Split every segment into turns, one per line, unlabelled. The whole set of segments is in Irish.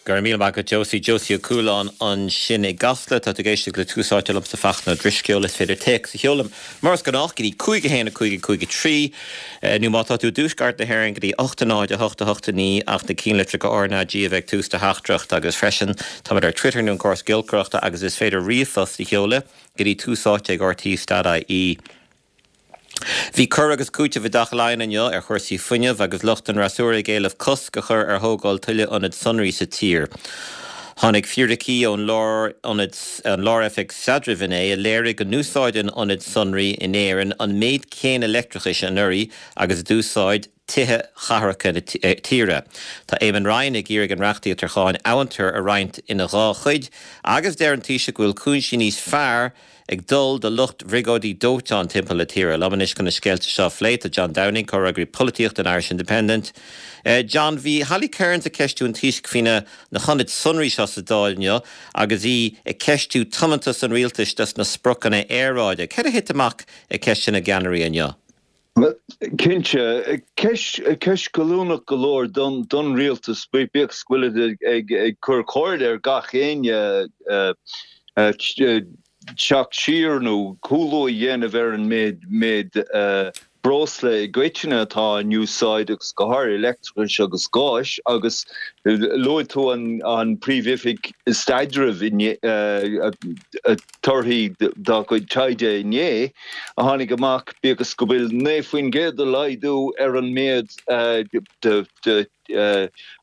Go raibh míle maith agat Josie. Josie Ó Cualáin ansin i gCasla. Tá tú ag éisteacht le Tús Áite liomsa Fachtna Ó Drisceoil. Is féidir téacs a sheoladh mar is gnách go dtí 5 1 5 5 3 nó má tá tú i dtuaisceart na hÉireann go dtí 8 0 8 8 9 ach na cinnlitreacha RnaG a bheith ag tús do theachtaireacht agus freisin táimid ar Twitter nó an córas giolcaireachta agus is féidir ríomhphost a sheoladh go dtí túsáite@rte.ie. Bhí cur agus cúiteamh i dTeach Laighean inniu ar chúrsaí fuinnimh agus lucht an fhreasúra ag éileamh cosc a chur ar thógáil tuilleadh ionad sonraí sa tír. Tháinig fíricí ón Lárionad, an Lár-Oifig Staidrimh inné a léirigh go n-úsáideann ionaid sonraí in Éirinn an méid céanna leictreachais anuraidh agus a d'úsáid tithe chathracha na tíre. Tá Eamon Ryan ag iarraidh an reachtaíocht ar cháin amhantair a roinnt ina dhá chuid agus deir an Taoiseach go bhfuil cúinsí níos fearr ag dul do lucht bhriogáidí dóiteáin timpeall na tíre. Liom anois chun na scéalta seo a phlé tá John Downing, comhfhreagraí polaitíochta an Irish Independent. John, bhí Holly Cairns ag ceistiú an Taoisigh faoi na hionaid sonraí seo sa Dáil inniu agus í ag ceistiú tiomantas an rialtais dos na spriocanna aeráide. Céard a thit amach ag ceisteanna na gceannairí inniu?
Cinnte, ceist goilliúnach go leor don rialtas, bíodh is go bhfuilid ag cur comhairle ar gach éinne teacht siar nó cúlú a dhéanamh ar an méid breosla i gcoitinne atá in úsáid agus go háirithe leictreachais agus gáis agus luaigh tú an Príomh-Oifig Staidrimh inné, torthaí dá gcuid taighde inné a tháinig amach, bíodh is go bhfuil 9% de laghdú ar an méid de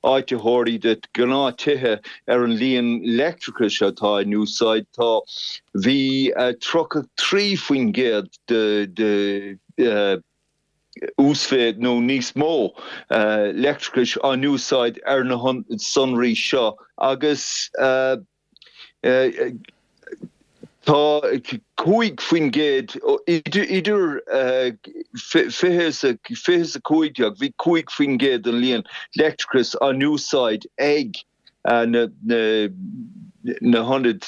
áititheoirí de ghnáth-tithe ar an líon leictreachais atá in úsáid, tá bhí 33% de uasmhéid nó níos mó leictreachais á n-úsáid ar na hionaid sonraí seo agus. Tá 5% idir 20 is 15, bhí 5% den líon leictreachais á n-úsáid ag na hionaid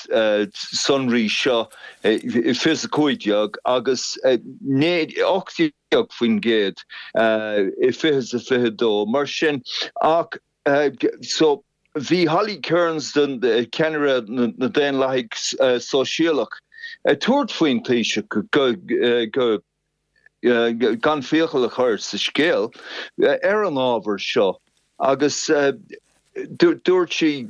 sonraí seo i 2015 agus 18% i 2022. Mar sin, ach so bhí Holly Cairns, ceannaire na Daonlathaigh Sóisialach, ag tabhairt faoin Taoiseach go gan fiacail a chur sa scéal ar an ábhar seo agus dúirt sí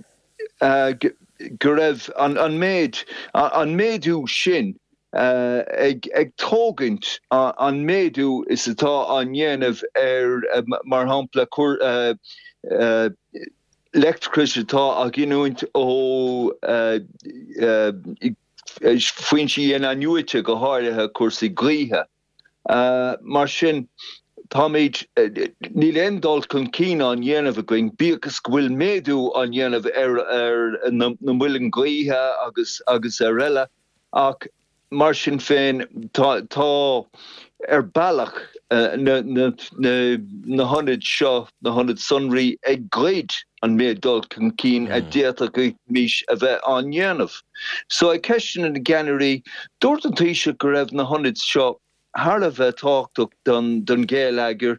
go raibh an méid, an méadú sin ag tógaint an méadú is atá á ndéanamh ar, mar shampla, leictreachas atá á ghiniúint ó foinsí in-athnuaite, go háirithe cúrsaí gaoithe. Mar sin, táimid, níl aon dul chun cinn á ndéanamh againn, bíodh is go bhfuil méadú á ndéanamh ar na muilinn ghaoithe agus agus ar eile, ach mar sin féin, tá, tá, ar bealach, na, na, na hionaid seo, na hionaid sonraí ag goid an méid dul chun cinn a d'fhéadfaimis a bheith á ndéanamh. So ag ceisteanna na gceannairí, dúirt an Taoiseach go raibh na hionaid seo thar a bheith tábhachtach don gheilleagar,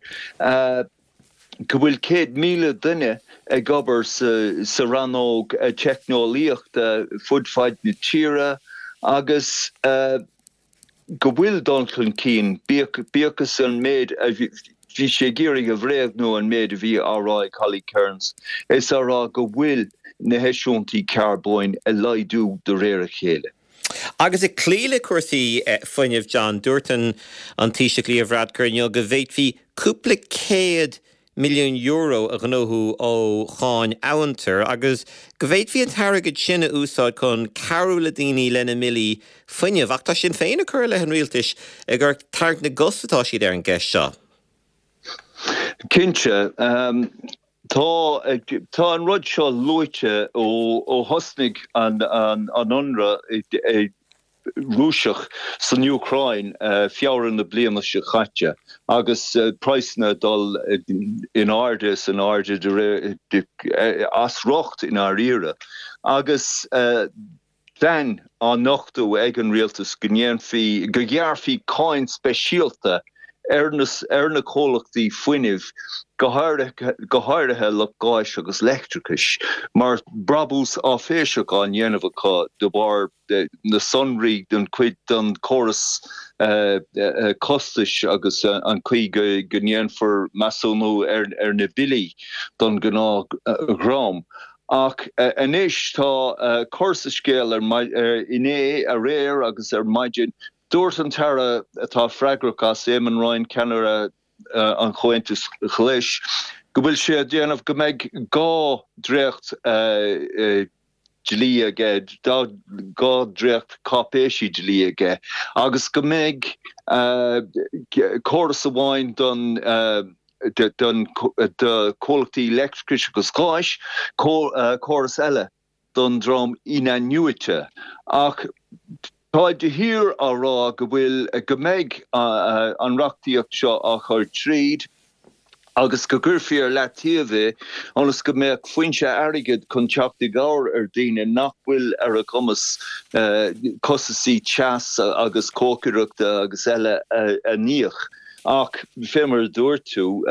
go bhfuil 100,000 duine ag obair sa rannóg teicneolaíochta fud fad na tíre agus go bhfuil dul chun cinn, bíodh is an méid a bhí sé ag iarraidh a bhréagnú an méid a bhí á rá ag Holly Cairns, is á rá go bhfuil na heisiúintí carbóin ag laghdú de réir a chéile.
Agus ag cloí le cúrsaí fuinnimh, John, dúirt an Taoiseach Leo Varadkar inniu go bhféadfaí cúpla €100 milliún a ghnóthú ó cháin amhantair agus go bhféadfaí an t-airgead sin a úsáid chun cabhrú le daoine lena mbillí fuinnimh. Ach tá Sinn Féin ag cur i leith an rialtais gur ag tarraingt na gcos atá siad ar an gceist seo.
Cinnte. Tá, tá an rud seo luaite ó thosnaigh an t-ionradh Rúiseach san Úcráin Feabhra na bliana seo caite agus praghsanna ag dul in airde is in airde de réir, as riocht i ndáiríre agus plean á nochtadh ag an rialtas go ndéanfaí, go ghearrfaí cáin speisialta. ar na ar na comhlachtaí fuinnimh, go háirithe go háirithe lucht gáis agus leictreachais, mar brabús áiféiseach á ndéanamh acu de bharr na sonraí den chuid den chóras costais agus an chaoi go ndéanfar measúnú ar na billí don ghnáthdhream. Ach anois tá cor sa scéal inné, aréir agus ar maidin. Dúirt an tAire atá freagrach as, Eamon Ryan, ceannaire an Chomhaontais Ghlais, go bhfuil sé ag déanamh go mbeidh 2 dréacht dlí aige, 2 dréacht cáipéisí dlí aige agus go mbeidh córas amháin don don do chomhlachtaí leictreachais agus gáis, córas eile don dream in-athnuaite. Ach táid de shíor á rá go bhfuil, go mbeidh an reachtaíocht seo á chur tríd agus go gcuirfí ar leataobh é ionas go mbeadh foinse airgid chun teacht i gcabhair ar dhaoine nach bhfuil ar a gcumas costaisí teas agus cócaireachta agus eile a n-íoc. Ach fé mar a dúirt tú,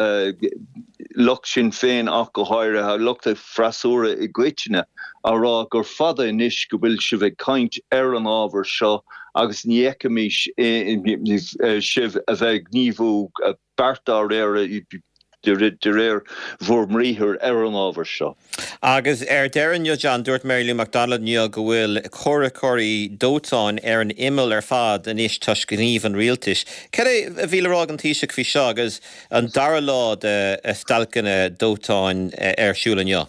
lucht Sinn Féin ach go háirithe, lucht an freasúra i gcoitinne, á rá gur fada anois go bhfuil sibh ag caint ar an ábhar seo agus ní fheicimís sibh a bheith ag gníomhú beart dá réir de réir bhur mbriathair ar an ábhar seo.
Agus ar deireadh inniu, John, dúirt Mary Lou McDonald inniu go bhfuil comhraiceoirí dóiteáin ar an imeall ar fad anois toisc gníomh an rialtais. Cad é a bhí le rá ag an Taoiseach faoi seo agus an dara lá de stailceanna dóiteáin ar siúl inniu?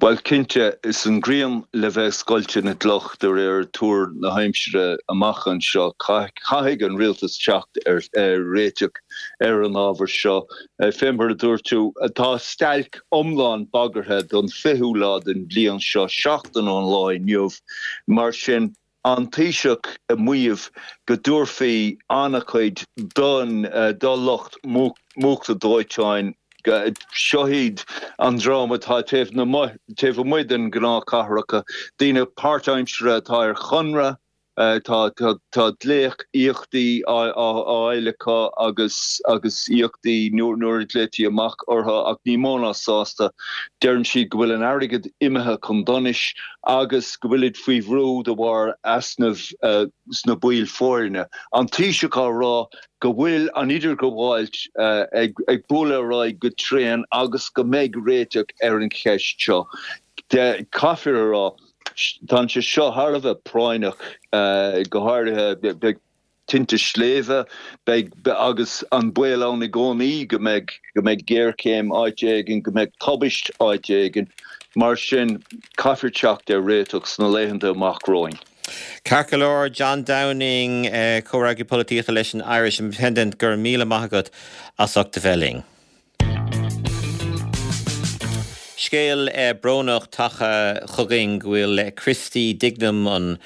Bhuel, cinnte, is an ghrian le bheith ag scoilteadh na gcloch de réir tuar na haimsire amach anseo. Caithfidh an rialtas teacht ar réiteach ar an ábhar seo. Fé mar a dúirt tú, tá stailc iomlán bagartha don 20ú lá den bhliain seo, seachtain ón lá inniu. Mar sin, an Taoiseach ag maíomh go dtabharfaí an-chuid don do lucht múchta dóiteáin. Seo iad an dream atá taobh taobh amuigh den ghnáthchathracha, daoine páirtaimseartha atá ar chonradh, tá tá dléacht-íocaíochtaí á fháil acu agus agus íocaíochtaí nuair a ghlaoití amach orthu ach ní mó ná sásta. Deireann siad go bhfuil an airgead imithe chun donais. agus go bhfuilid faoi bhrú de bharr easnamh sna baill foirne. An Taoiseach á rá go bhfuil an idirghabháil ag bualadh ar aghaidh go tréan agus go mbeidh réiteach ar an cheist seo. Caithfear a rá, tá sé seo thar a bheith práinneach, go háirithe beidh tinte sléibhe, beidh, agus an baol ann i gcónaí go mbeidh, go mbeidh géarchéim áit éigin, go mbeidh tubaist áit éigin. Mar sin, caithfear teacht ar réiteach sna laethanta amach romhainn.
Ceart go leor, John Downing, Comhfhreagraí Polaitíochta leis an Irish Independent, go raibh míle maith agat as ucht a bheith linn. Scéal brónach tagtha chugainn go bhfuil Christy Dignam, an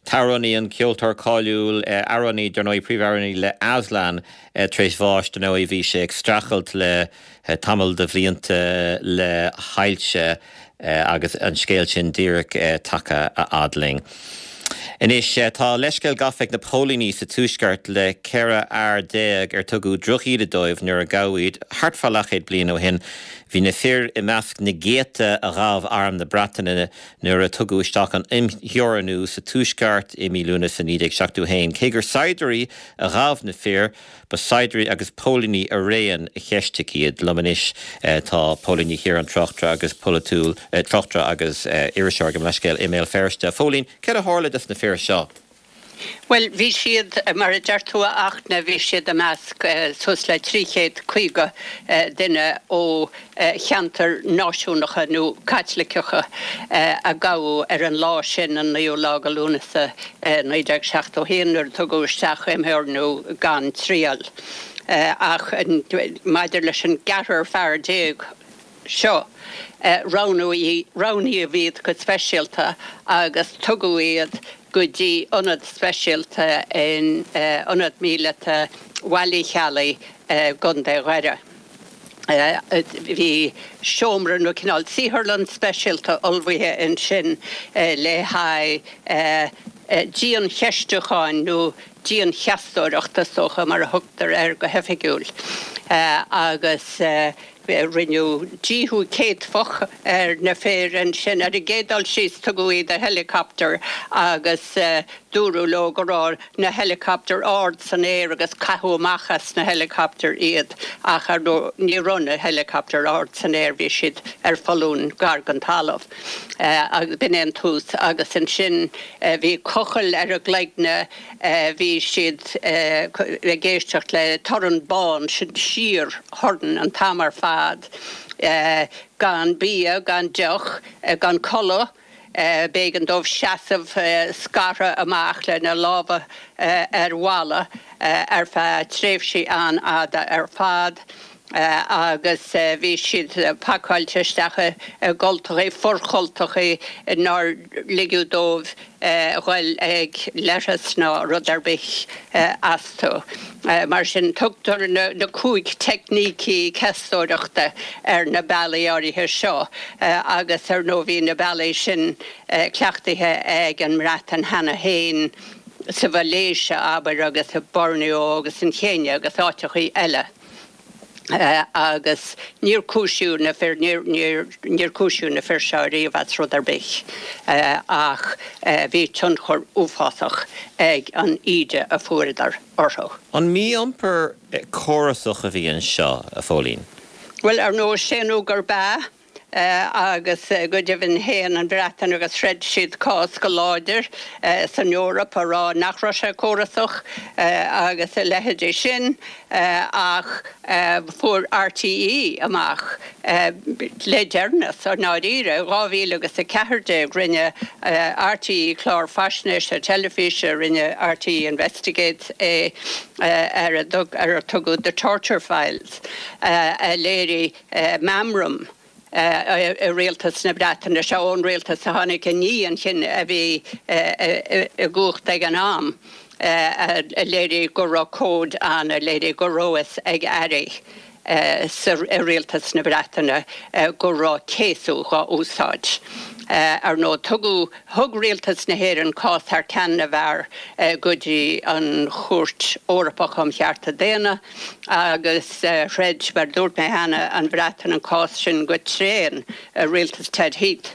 t-amhránaí, an ceoltóir cáiliúil, amhránaí, dar ndóigh, príomhamhránaí le Aslan, tar éis bháis. Dar ndóigh, bhí sé ag streachailt le tamall de bhlianta le hailse. Agus an scéal sin díreach tagtha a fhad linn. Anois, tá leithscéal gafa ag na póilíní sa Tuaisceart le 14 fhear ar tugadh drochíde dóibh nuair a gabhadh iad thart fá leathchéad bliain ó shin. Bhí na fir i measc na gcéadta a ghabh Arm na Breataine nuair a tugadh isteach an imtheorannú sa Tuaisceart i mí Lúnasa 1971. Cé gur saighdiúirí a ghabh na fir, Ba saighdiúirí agus póilíní araon a cheistigh iad. Liom anois tá Póilín Ní Chiaráin, tráchtaire agus polaitiúil, tráchtaire agus iriseoir, gabh mo leithscéal, i mBéal Feirste. A Phóilín, céard a tharla dos na fir seo?
Bhuel, bhí siad, mar a deir tú a Fhachtna, bhí siad i measc suas le 350 duine ó cheantair náisiúnacha nó Caitliceacha a gabhadh ar an lá sin, an 9ú lá de Lúnasa 1971, nuair a tugadh isteach imtheorannú gan triail. Ach maidir leis an gceathrar fear seo, roghnaíodh iad go speisialta agus tugadh iad go dtí ionad speisialta in Ionad Míleata Bhaile Uí Cheallaigh i gContae Dhoire. Bhí seomra nó cineál saotharlann speisialta ullmhaithe ansin le haghaidh. Diancheistiúcháin nó diancheastóireacht is dócha mar a thugtar air go hoifigiúil agus rinneadh díothú céadfach ar na fir ansin. Ar an gcéad dul síos tugadh iad i helicopter agus dúradh leo go raibh na helicopter ard san aer agus caitheadh amach as na helicopter iad ach ar ndóigh ní raibh na helicopter ard san aer, bhí siad ar foluain gar don talamh. Agus b'in é an tús agus ansin bhí cochaill ar a gcloigne, bhí siad ag éisteacht le torann bán, sin síor-thorann an t-am ar fad, gan bia, gan deoch, gan codladh, b'éigean dóibh seasamh scartha amach lena lámha ar bhalla ar feadh tréimhsí an-fhada ar fad. agus bhí siad pacáilte isteach i gcultachaí, forchultachaí nár ligeadh dóibh dhul ag leithreas ná rud ar bith astu. Mar sin, tugtar na cúig teicnící ceastóireachta ar na bealaí áirithe seo agus ar ndóigh bhí na bealaí sin cleachtaithe ag an mBreatain cheana féin sa Mhalaeisia, abair, agus i Borneo agus an Chéinia agus áiteachaí eile. agus níor cúisíodh na fir, níor cúisíodh na fir seo ariamh as rud ar bith ach bhí tionchar uafásach ag an íde a fuaireadar orthu.
An mí-iompar córasach a bhí anseo, a Phóilín?
Bhuel, ar ndóigh, séanadh gurb ea. agus go deimhin shéan an Bhreatain agus throid siad cás go láidir san Eoraip a rá nach raibh sé córasach agus a leithéidí sin ach fuair RTÉ amach le deireanas i ndáiríre, i 2014 rinne RTÉ clár faisnéise teilifíse, rinne RTÉ Investigates é ar ar tugadh The Torture Files a léirigh meamram i rialtas na Breataine, sea, ón rialtas a tháinig i ndiaidh an chinn a bhí i gcumhacht ag an am, a léirigh go raibh comhaid ann a léirigh go raibh fhios ag airí i rialtas na Breataine go raibh céasadh dhá úsáid. Ar ndóigh, tugadh, thug rialtas na hÉireann cás thar ceann na bhfear go dtí an Chúirt Eorpach um Chearta Daonna, Agus throid, mar a dúirt mé cheana, an Bhreatain an cás sin go tréan i rialtas Ted Heath.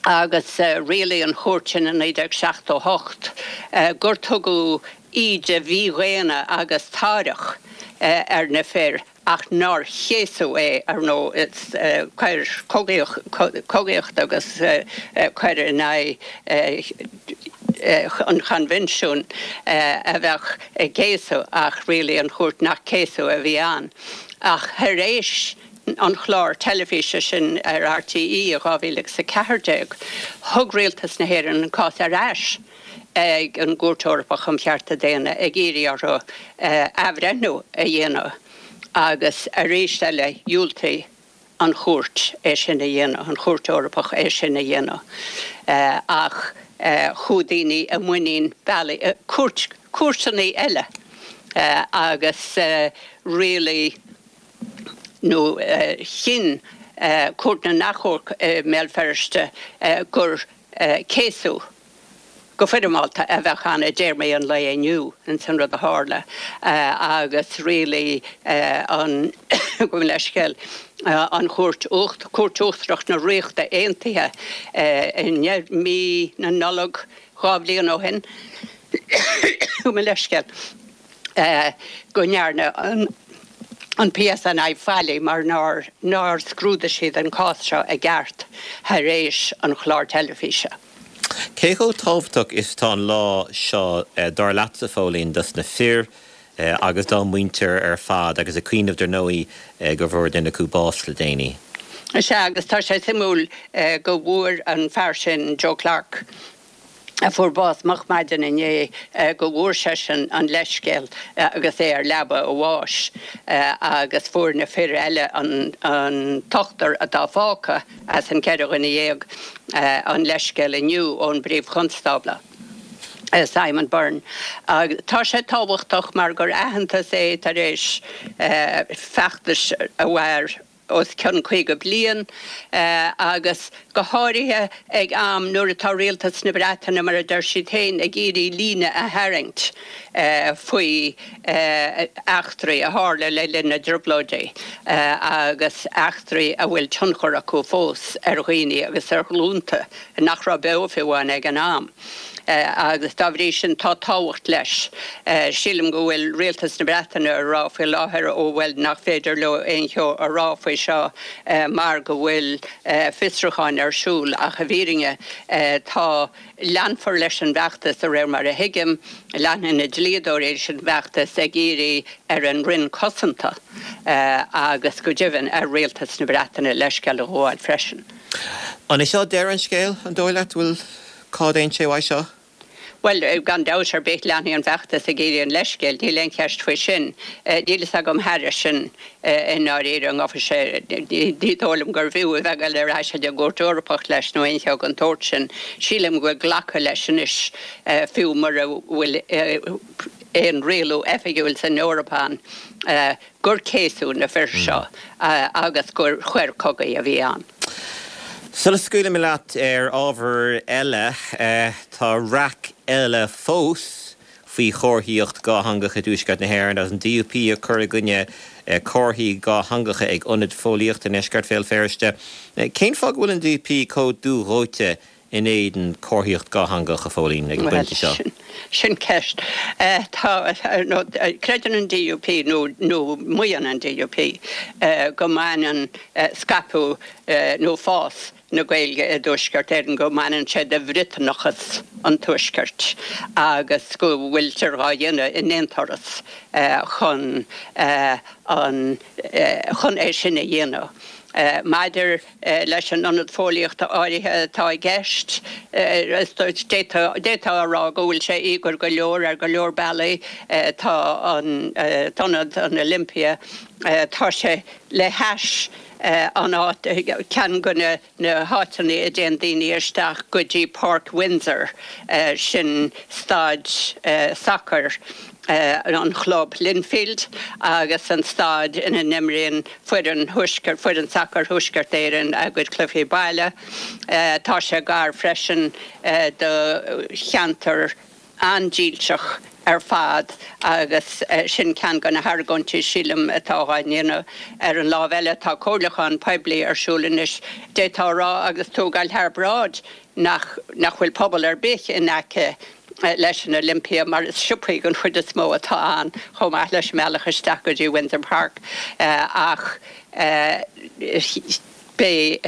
Agus rialaigh an chúirt sin i 1978 gur tugadh íde mhídhaonna agus táireach ar na fir ach nár céasadh é, ar ndóigh, is coir cogaíochta agus coir in aghaidh an Choinbhinsiúin a bheadh i gcéasadh ach rialaigh an chúirt nach céasadh a bhí ann. Ach thar éis an chláir teilifíse sin ar RTÉ i 2014, thug Rialtas na hÉireann an cás ar ais ag an gCúirt Eorpach um Chearta Daonna ag iarraidh orthu athbhreithniú a dhéanamh agus arís eile dhiúltaigh an Chúirt é sin a dhéanamh, an Chúirt Eorpach é sin a dhéanamh. Ach chuaigh daoine i muinín bealaí, cúirt, cúirteanna eile agus rialaigh nó chinn Cúirt na nAchomharc i mBéal Feirste gur céasadh go foirmeálta a bheadh ann i dtéarmaí an lae inniu ins an rud a tharla agus rialaigh an, gabh mo leithscéal, an Chúirt Uacht, Cúirt Uachtarach na Ríochta Aontaithe i mí na Nollag 2 bhliain ó shin, gabh mo leithscéal. go ndearna an PSNI faillí mar nár nár scrúdaigh siad an cás seo i gceart thar éis an chláir teilifíse.
Cé chomh tábhachtach is atá an lá seo, dar leatsa, Phóilín, dos na fir agus dá muintir ar fad, agus ag cuimhneamh, dar ndóigh, go bhfuair duine acu bás le déanaí?
Sea, agus tá sé suimiúil go bhfuair an fear sin, Joe Clarke, a fuair bás moch maidin inné, go bhfuair seisean an leithscéal agus é ar leaba a bháis agus fuair na fir eile, an t-ochtar atá fágtha as an 14 dhuine, an leithscéal inniu ón bPríomh-Chonstábla, Simon Byrne. Tá sé tábhachtach mar gur aitheantas é tar éis feachtais a mhair. os cionn 50 bliain agus go háirithe ag am nuair atá Rialtas na Breataine, mar a deir siad féin, ag iarraidh líne a tharraingt faoi eachtraí a tharla le linn na dTrioblóidí agus eachtraí a bhfuil tionchar acu fós ar dhaoine agus ar ghlúnta nach raibh beo fiú amháin ag an am. Agus dá bhrí sin tá tábhacht leis. Sílim go bhfuil Rialtas na Breataine ag rá faoi láthair, ó bhuel, nach féidir leo aon cheo a rá faoi seo mar go bhfuil fiosrúcháin ar siúl ach i bhfírinne tá, leanfar leis an bhfeachtas de réir mar a thuigim, leanfaidh na dlíodóirí leis an bhfeachtas ag iarraidh ar an Roinn Cosanta agus go deimhin ar Rialtas na Breataine leithscéal a ghabháil freisin.
An é seo deireadh an scéil, an dóigh leat? Bhfuil. Cá dtéann sé uaidh seo?
Bhuel, gan dabht ar bith, leanfaidh an feachtas ag iarraidh an leithscéil, níl aon cheist faoi sin. Níl fhios agam thairis sin i ndáiríre, an ngabhfaidh sé, ní dóigh liom gurbh fhiú a bheith ag dul ar ais chuig an gCúirt Eorpach leis nó aon cheo den tsórt sin. Sílim go bhfuil glactha leis anois, fiú mura bhfuil aon rialú oifigiúil san Eoraip ann, gur céasadh na fir seo agus gur choir cogaidh a bhí ann.
Sula scaoilfidh mé leat ar ábhar eile, tá raic eile fós faoi chomharthaíocht dhátheangach i dTuaisceart na hÉireann agus an DUP ag cur i gcoinne comharthaí dhátheangacha ag ionad fóillíochta i ndeisceart Bhéal Feirste. Cén fáth go bhfuil an DUP chomh dúdhóite in éadan comharthaíocht dhátheangach, a Phóilín, ag an bpointe seo?
Bhuel, sin ceist. Tá, nó creideann an DUP, nó nó maíonn an DUP, go mbaineann scaipeadh nó fás na Gaeilge i dTuaisceart Éireann, go mbaineann sé de Bhriotanachas an Tuaiscirt agus go bhfuiltear dhá dhéanamh in aon turas chun an chun é sin a dhéanamh. Maidir leis an ionad fóillíochta áirithe atá i gceist. D'fhéadfá a rá go bhfuil sé íogair go leor ar go leor bealaí. Tá an t-ionad, an Olympia, tá sé le hais an áit, ceann de na háiteanna a dtéann daoine isteach go dtí Páirc Windsor, sin staid sacair. an chlub Linfield agus an staid ina n-imríonn foireann Thuaisceart, foireann sacair Thuaisceart Éireann a gcuid cluichí baile. Tá sé gar freisin do cheantar an-dílseach ar fad agus sin ceann de na hargóintí, sílim, atá á ndéanamh. Ar an lámh eile, tá comhairliúchán poiblí ar siúl anois, d'fhéadfá a rá, agus tú ag dul thar bráid, nach nach bhfuil pobal ar bith in aice leis an Olympia mar is siopaí den chuid is mó atá ann chomh maith leis an mbealach isteach go dtí Windsor Park ach beidh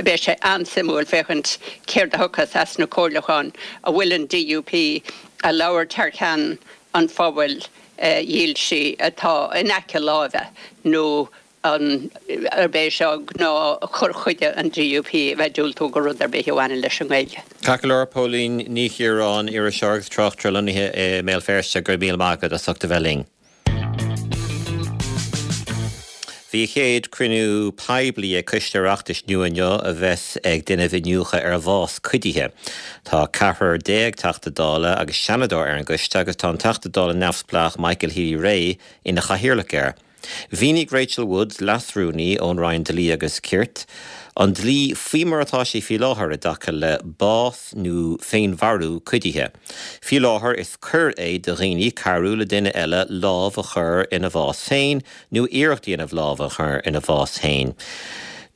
beidh sé an-suimiúil féachaint céard a thiocfas as na comhairliúcháin an bhfuil an DUP ag labhairt thar ceann an phobail dhílsigh atá in aice láimhe nó an arb é seo gnáth chur chuige an DUP a bheith ag diúltú do rud ar bith a bhaineann leis an nGaeilge.
Ceart go leor, Póilín Ní Chiaráin, iriseoir agus tráchtaire lonnaithe i mBéal Feirste, go raibh míle maith agat as ucht a bheith linn. Bhí a chéad cruinniú poiblí ag Coiste Oireachtais nua inniu a bheas ag déanamh iniúchadh ar bhás cuidithe. Tá ceathrar Teachta Dála agus Seanadóir ar an gcoiste agus tá an Teachta Dála neamhspleách Michael Healy-Rae ina chathaoirleach air. Mhínigh Rachel Woods, Leas-Rúnaí ón Roinn Dlí agus Cirt, an dlí faoi mar atá sé faoi láthair i dtaca le bás nó féinmharú cuidithe. Faoi láthair is coir é do dhaoine cabhrú le duine eile lámh a chur ina bhás féin nó iarracht a dhéanamh lámh a chur ina bhás féin.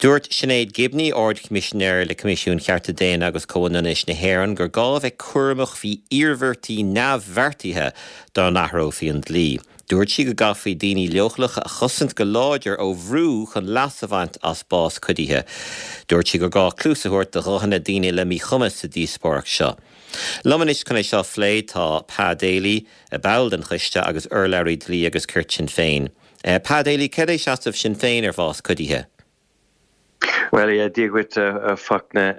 Dúirt Sinéad Gibney, Ard-Choimisinéir le Coimisiún Chearta Daonna agus Comhionannais na hÉireann, gur gá a bheith cúramach faoi iarmhairtí neamhbheartaithe dá n-athrófaí an dlí. Dúirt sí go gcaithfí daoine leochaileacha a chosaint go láidir ó bhrú chun leas a bhaint as bás cuidithe. Dúirt sí gur gá cluas a thabhairt do ghuthanna daoine le míchumas sa díospóireacht seo. Liom anois chun é seo a phlé tá Pa Daly, ball den choiste agus urlabhraí dlí agus cirt Shinn Féin. Pa Daly, céard é seasamh Shinn Féin ar bhás cuidithe?
Bhuel, yeah, Dia dhuit, a Fachtna.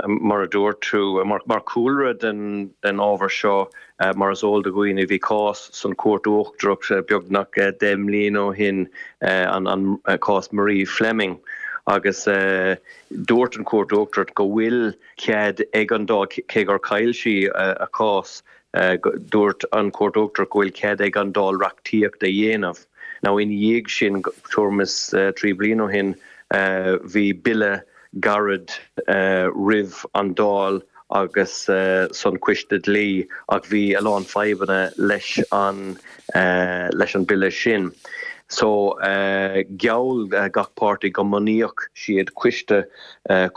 Mar a dúirt tú, mar chúlra den ábhar seo, mar is eol do dhaoine, bhí cás san Chúirt Uachtarach beagnach 10 mbliana ó shin, an cás Marie Fleming, agus dúirt an Chúirt Uachtarach go bhfuil cead ag an Dáil, cé gur chaill sí a cás, dúirt an Chúirt Uachtarach go bhfuil cead ag an Dáil reachtaíocht a dhéanamh. Now ina dhiaidh sin, tuairim is 3 bliana ó shin, bhí bille gairid roimh an Dáil agus san Coiste Dlí ach bhí a lán fadhbanna leis an leis an bille sin. So gheall gach páirtí go mbunaíodh siad coiste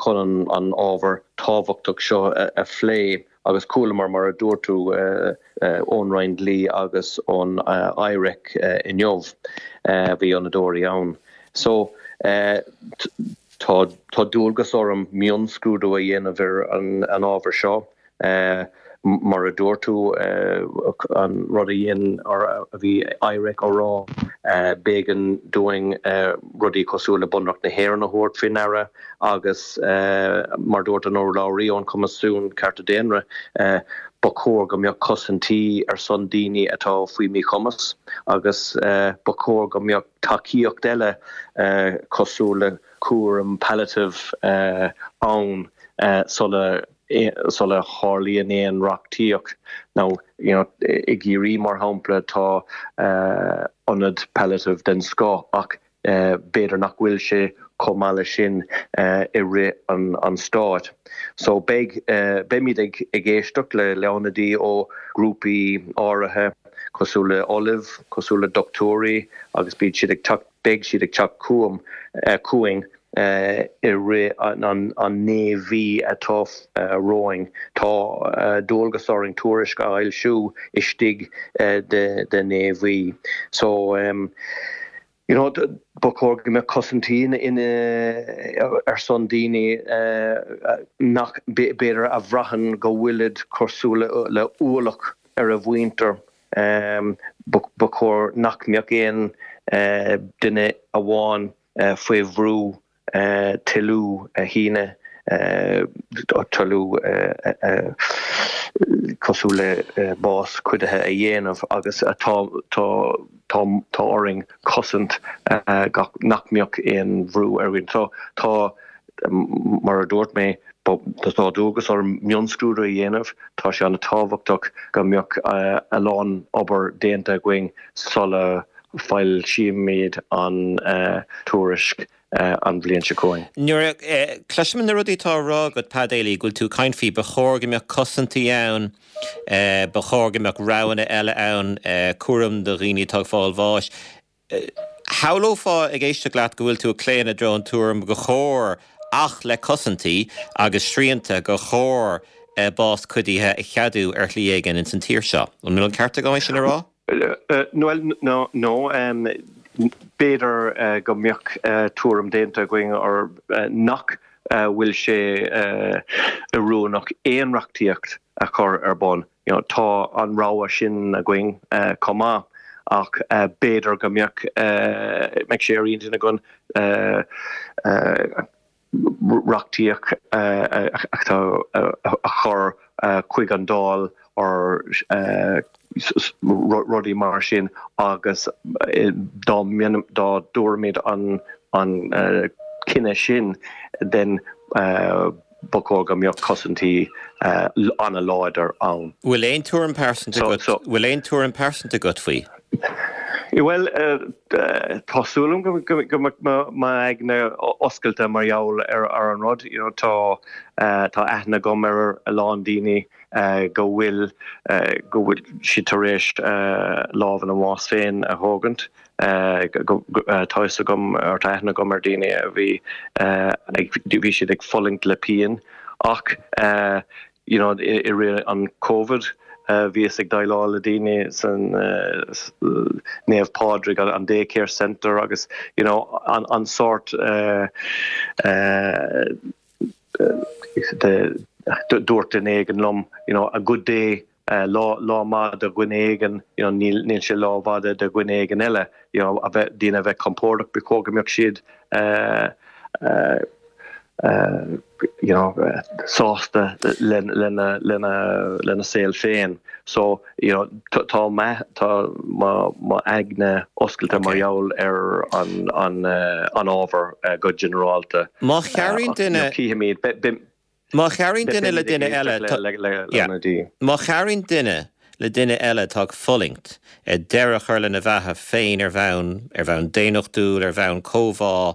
chun an ábhar tábhachtach seo a phlé agus chualamar mar a dúirt tú ón Roinn Dlí agus ón IREC inniu, bhí ionadóirí ann. So tá tá dualgas orm mionscrúdú a dhéanamh ar an ábhar seo. Mar a dúirt tú, an rud a dhein or a bhí IREC á rá, b'éigean dúinn rudaí cosúil le Bunreacht na hÉireann a thabhairt faoi ndeara agus mar dúirt an urlabhraí ón Choimisiún Cearta Daonna, ba chóir go mbeadh cosaintí ar son daoine atá faoi mhíchumas agus ba chóir go mbeadh tacaíocht eile cosúil le cúram palliative ann sula sula tharlaíonn aon reachtaíocht. Now, you know, i gCiarraí, mar shampla, tá ionad palliative den scoth ach b'fhéidir nach bhfuil sé chomh maith leis sin i rith an stáit. So beidh, beimid ag ag éisteacht le le ionadaí ó ghrúpaí áirithe cosúil le ollaimh, cosúil le dochtúirí agus beidh siad ag teacht, beidh siad ag teacht chugam, chugainn i rith an 9 mhí atá romhainn. Tá dualgas orainn tuairisc a fhoilsiú istigh de 9 mhí. So, you know, ba chóir go mbeadh cosaintí ar son daoine nach, b'fhéidir, a bhraitheann go bhfuilid cosúil le ualach ar a mhuintir. Ba chóir nach mbeadh aon duine amháin faoi bhrú toiliú a shíneadh, toiliú cosúil le bás cuidithe a dhéanamh agus tá tá orainn cosaint nach mbeadh aon bhrú ar dhaoine. So tá, mar a dúirt mé, tá dualgas orm mionscrúdú a dhéanamh, tá sé an-tábhachtach go mbeadh a lán obair déanta againn sula foilsímid an tuairisc an bhliain seo chugainn.
Nuair a chloisim na rudaí atá á rá agat, Pa Daly, go bhfuil tú ag caint faoi, ba chóir go mbeadh cosaintí ann, ba chóir go mbeadh roghanna eile ann, cúram do dhaoine atá ag fáil bháis. Shamhlófá ag éisteacht leat go bhfuil tú ag claonadh i dtreo an tuairim go chóir, ach le cosaintí agus srianta, gur chóir bás cuidithe a cheadú ar shlí éigin ins an tír seo. An bhfuil an ceart agam é sin a rá?
Bhuel, no, b'fhéidir go mbeadh tuairim déanta againn or nach bhfuil sé oiriúnach aon reachtaíocht a chur ar bun. You know, tá an rogha sin againn chomh maith ach b'fhéidir go mbeadh, mbeadh sé ar intinn againn reachtaíocht a chur chuig an Dáil or rudaí mar sin agus dá dtabharfaimid an cinneadh sin then ba chóir go mbeadh cosaintí an-láidir ann.
Bhfuil aon tuairim pearsanta agat, bhfuil aon tuairim pearsanta agat faoi?
Bhuel, tá súil agam go mbeidh m'aigne oscailte mar gheall ar an rud. You know, tá tá aithne agam ar a lán daoine go bhfuil go bhfuil siad tar éis lámh ina mbás féin a thógaint. Tá fhios agam or tá aithne agam ar daoine a bhí ag bhí siad ag fulaingt le pian ach you know i rith an Covid bhíos ag déileáil le daoine san Naomh Pádraig an day care centre agus you know an an sórt de dúirt duine éigin liom you know a good day lá lá maith do dhuine éigin you know níl níl sé lá maith do dhuine éigin eile you know a bheith daoine a bheith compordach ba chóir go mbeadh siad you know sásta lena lena lena saol féin so you know tá mé tá mo mo aigne oscailte mar gheall ar an an an ábhar go ginearálta
Má chabhraíonn duine
cífimid
Má chabhraíonn duine le duine eile, Má chabhraíonn duine le duine eile atá ag fulaingt, deireadh a chur lena bheatha féin ar bhonn, ar bhonn daonnachtúil, ar bhonn comhbhá,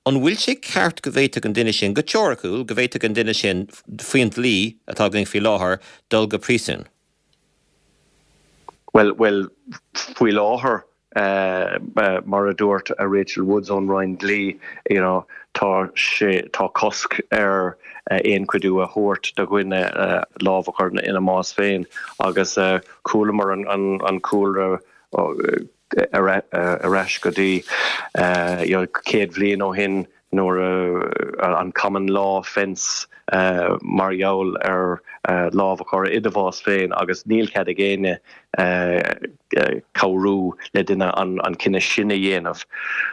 an bhfuil sé ceart go bhféadfadh an duine sin, go teoiriciúil, go bhféadfadh an duine sin, faoin dlí atá againn faoi láthair, dul go príosún?
Bhuel, bhuel, faoi láthair, mar a dúirt Rachel Woods ón Roinn Dlí, you know, tá sé, tá cosc ar aon chuidiú a thabhairt do dhuine lámh a chur ina mbás féin agus chualamar an cúlra ar ais go dtí you know 100 bhliain ó shin nuair a an common law offence mar gheall ar lámh a chur i do bhás féin agus níl cead ag éinne cabhrú le duine an cinneadh sin a dhéanamh.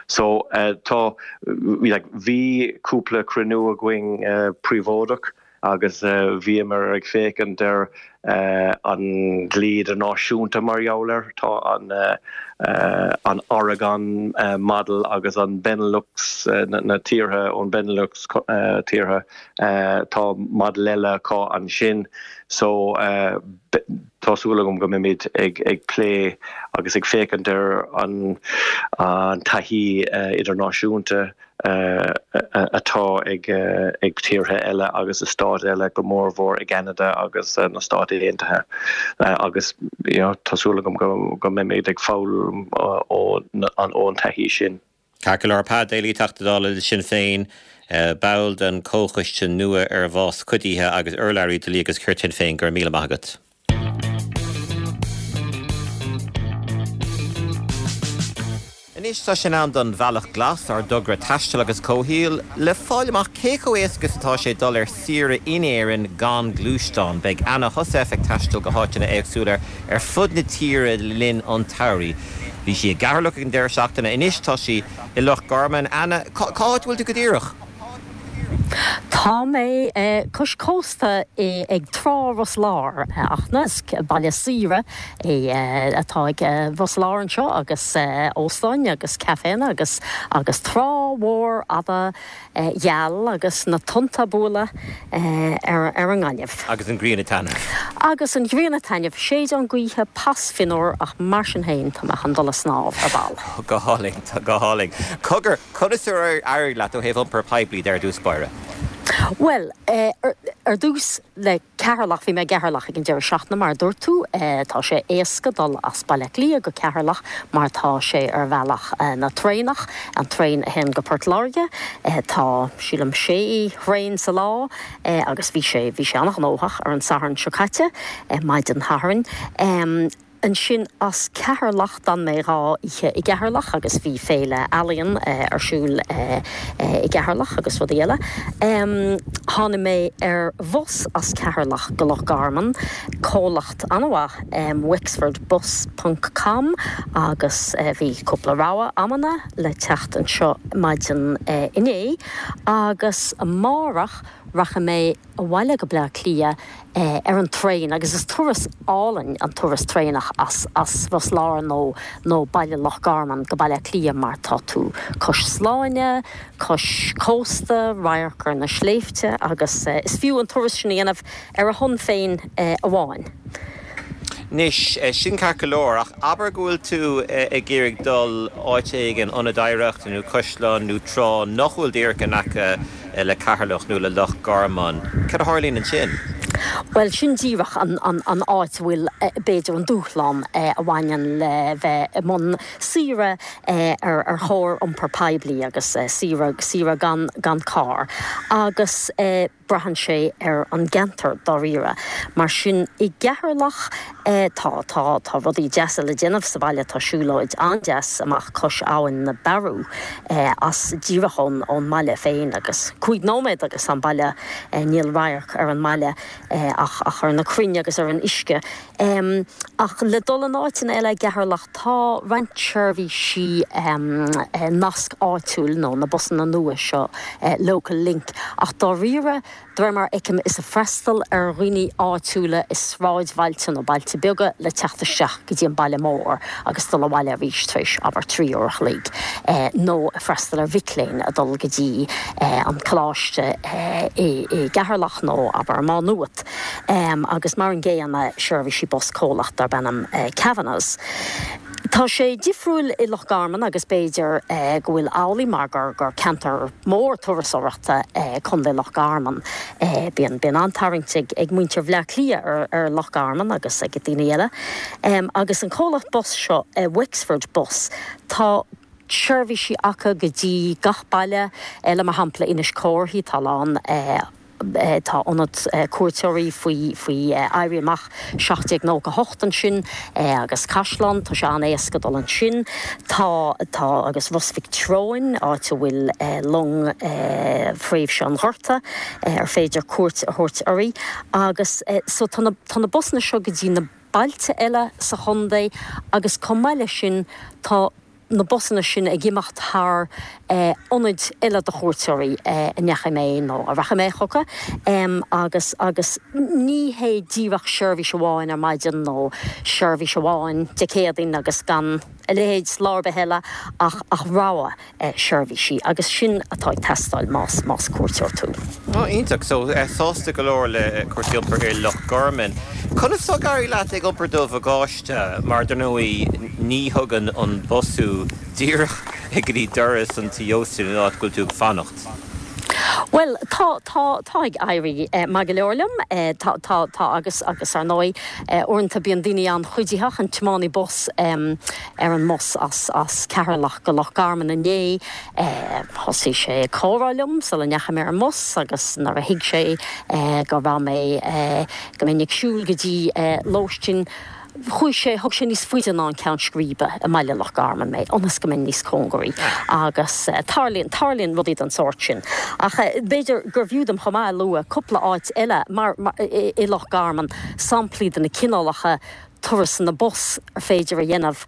So tá like bhí cúpla cruinniú againn príobháideach agus bhíomar ag féachaint ar an dlí idirnáisiúnta mar gheall air. Tá an an Oregon model agus an Benelux, na tíortha ón Benelux tíortha, tá model eile acu ansin. So tá súil agam go mbeimid ag ag plé agus ag féachaint ar an an taithí idirnáisiúnta atá ag tíortha eile agus i stáit eile, go mórmhór i gCeanada agus na Stáit Aontaithe agus tá súil agam go mbeimid ag foghlaim ón taithí sin.
Ceart go leor, Pa Daly, Teachta Dála le Sinn Féin, ball den Comhchoiste nua ar Bhás Cuidithe agus urlabhraí Dlí agus Cirt Shinn Féin, go raibh míle maith agat. Anois tá sé in am don Bhealach Glas, ár dtogra taistil agus comhshaoil, le fáil amach cé chomh éasca is atá sé dul ar saoire in Éirinn gan gluaisteán. Beidh Anna Heussaff ag taisteal go háiteanna éagsúla ar fud na tíre le linn an tsamhraidh. Bhí sí i gCeatharlach ag an deireadh seachtaine, anois tá sí i Loch Garman. Anna, cá háit a bhfuil tú go díreach?
Tá mé cois cósta ag Trá Ros Láir, a Fhachtna. Is baile saoire é atá ag Ros Láir anseo agus óstáin agus caiféanna agus agus trá mhór fhada gheal agus na tonnta ag bualadh ar ar an ngaineamh.
Agus an ghrian ag taitneamh.
Agus an ghrian ag taitneamh. Séideán gaoithe pas fionnuar ach mar sin féin tá mé chun dul ag snámh ar ball.
Go hálainn, go hálainn. Cogar, Conas ar éirigh leat ó thaobh iompar poiblí de ar dtús báire?
Bhuel, ar dtús le Ceatharlach, bhí mé i gCeatharlach ag an deireadh seachtaine mar a dúirt tú. Tá sé éasca dul as Baile Átha Cliath go Ceatharlach mar tá sé ar bhealach na traenach, an traein a théann go Port Láirge. Tá, sílim, sé thraein sa lá agus bhí sé, bhí sé an-ghnóthach ar an Satharn seo caite, maidin Shathairn. Ansin as Ceatharlach, d'fhan mé 2 oíche i gCeatharlach agus bhí féile ealaíon ar siúl i gCeatharlach agus rudaí eile. Tháinig mé ar bhus as Ceatharlach go Loch Garman, comhlacht an-mhaith, Wexford Bus ponc com, agus bhí cúpla rogha amanna le teacht anseo maidin inné agus amárach rachaidh mé abhaile go Bleá Cliath ar an traein agus is turas álainn an turas traenach as as Ros Láir nó nó baile Loch Garman go Baile Átha Cliath mar tá tú cois Sláine, cois cósta, radharc ar na sléibhte agus is fiú an turas sin a dhéanamh ar a shon féin amháin.
Anois, sin ceart go leor, ach abair go bhfuil tú ag iarraidh dul áit éigin, ionad oidhreachta nó caisleán nó trá nach bhfuil díreach in aice le Ceatharlach nó le Loch Garman, cad a tharlaíonn ansin?
Bhuel, sin díreach an áit a bhfuil, b'fhéidir, an dúshlán a bhaineann le bheith i mbun saoire ar chóir iompar poiblí agus saoire, saoire gan carr. Agus. Braitheann sé ar an gceantar, dáiríre. Mar sin, i gCeatharlach, tá, tá, tá rudaí deasa le déanamh sa bhaile, tá siúlóid an-deas amach cois Abhainn na Bearú, as, díreach ón, ón mbaile féin agus cúig nóiméad agus tá an baile, níl radharc ar an mbaile ach, ach ar na crainn agus ar an uisce. Ach le dul in áiteanna eile i gCeatharlach, tá roinnt seirbhísí nasc áitiúil nó na busanna nua seo, Local Link, ach dáiríre. De réir mar a fheicim, is ag freastal ar dhaoine áitiúla i sráidbhailte nó bailte beaga le teacht isteach go dtí an baile mór agus dul abhaile arís tar éis, abair, 3 uair a chloig, nó ag freastal ar mhic léinn ag dul go dtí an coláiste i gCeatharlach nó, abair, i Má Nuat. Agus mar an gcéanna, seirbhísí bus comhlacht darb ainm Kavanagh's. Tá sé difriúil i Loch Garman agus b'fhéidir go bhfuil amhlaidh mar gur gur ceantar mór turasóireachta é Contae Loch Garman. Bíonn bíonn an-tarraingt ag ag muintir Bhleá Cliath ar ar Loch Garman agus ag daoine eile. Agus an comhlacht bus seo, Wexford Bus, tá seirbhísí acu go dtí gach baile eile, mar shampla Inis Córthaidh, tá a lán Tá ionad cuairteoirí faoi faoi Éirí Amach 1798 ansin agus caisleán, tá sé an-éasca dul ansin. Tá tá agus Ros Mhic Treoin, áit a bhfuil long thréimhse an Ghorta ar féidir cuairt a thabhairt uirthi. Agus so tá na tá na busanna seo go dtí na bailte eile sa chontae agus chomh maith leis sin tá na busanna sin ag imeacht thar ionaid eile do chuairteoirí a ndeachaigh mé nó a rachaidh mé chucu agus agus ní hé díreach seirbhís amháin ar maidin nó seirbhís amháin Dé Céadaoin agus gan a leithéid lá ar bith eile ach ach rogha seirbhísí agus sin atá ag teastáil más más cuairteoir tú.
Ó, iontach. So, sásta go leor le cúrsaí iompair i Loch Garman. Conas tá ag éirí leat ag iompar do bhagáiste? Mar, dar ndóigh, ní thugann an bus thú díreach go dtí doras an tí ósta an áit go bhfuil tú ag fanacht.
Bhuel, tá, tá, tá ag éirí maith go leor liom. Tá, tá, tá agus, agus ar ndóigh, uaireanta bíonn daoine an-chuiditheach, an tiománaí bus ar an mbus as, as Ceatharlach go Loch Garman inné, Thosaigh sé ag comhrá liom sula ndeachaigh mé ar an mbus agus nuair a thuig sé go raibh mé, go mbeinn ag siúl go dtí lóistín, chuaigh sé, thug sé níos faide ná an ceann scríbe i mbaile Loch Garman mé, ionas go mbeinn níos cóngaraí. Agus tarlaíonn, tarlaíonn rudaí den sórt sin. Ach b'fhéidir gurbh fhiú dom chomh maith a lua cúpla áit eile mar, i Loch Garman, samplaí de na cineálacha turasanna bus ar féidir a dhéanamh,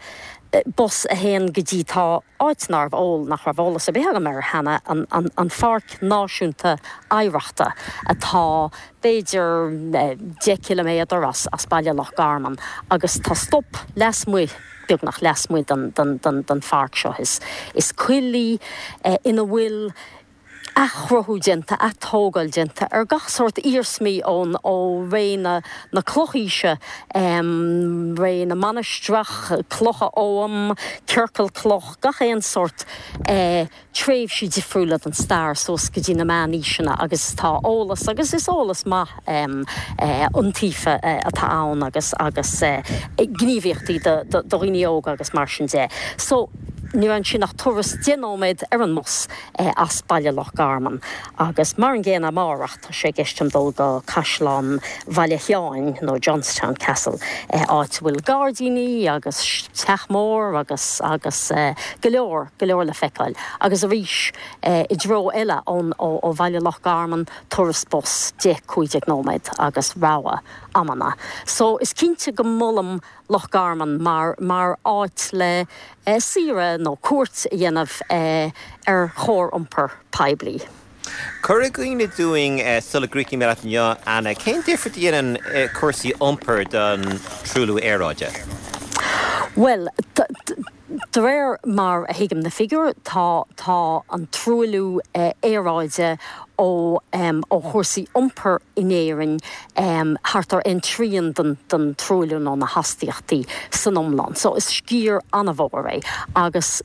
bus a théann go dtí, tá. áit nárbh eol, nach raibh eolas ar bith agam air cheana, an Pháirc Náisiúnta Oidhreachta atá b'fhéidir 10 ciliméadar as baile Loch Garman agus tá stop lasmuigh, beagnach lasmuigh den pháirc seo. Is coill í ina bhfuil athchruthú déanta, atógáil déanta ar gach sórt iarsmaí ón, ó ré na, na clochaoise, ré na mainistreach, clocha oghaim, ciorcal cloch, gach aon sórt tréimhsí difriúla den stair suas go dtí na meánaoiseanna agus tá eolas, agus is eolas maith iontaofa atá ann agus, agus gníomhaíochtaí do, do dhaoine óga agus mar sin de. So, ní raibh ansin ach turas 10 nóiméad ar an mbus. as baile Loch Garman agus mar an gcéanna amárach tá sé i gceist agam dul go Caisleán Bhaile Sheáin nó Johnstown Castle, áit a bhfuil gairdíní agus teach mór agus agus go leor, go leor le feiceáil. Agus arís i dtreo eile ón ó bhaile Loch Garman, turas bus 10, 15 nóiméad agus rogha amanna. So is cinnte go molaim Loch Garman mar mar áit le saoire nó cuairt a dhéanamh ar chóir iompar poiblí.
Cuir i gcuimhne dúinn sula gcríochnaíonn mé leat inniu, Anna, cén difear a dhéanann cúrsaí iompair don truailliú aeráide?
Bhuel, De réir mar a thuigim na figiúir, tá tá an truailliú aeráide ó ó chúrsaí iompair in Éirinn thart ar aon trian den den truailliú nó na hastaíochtaí san iomlán. So is sciar an-mhór é agus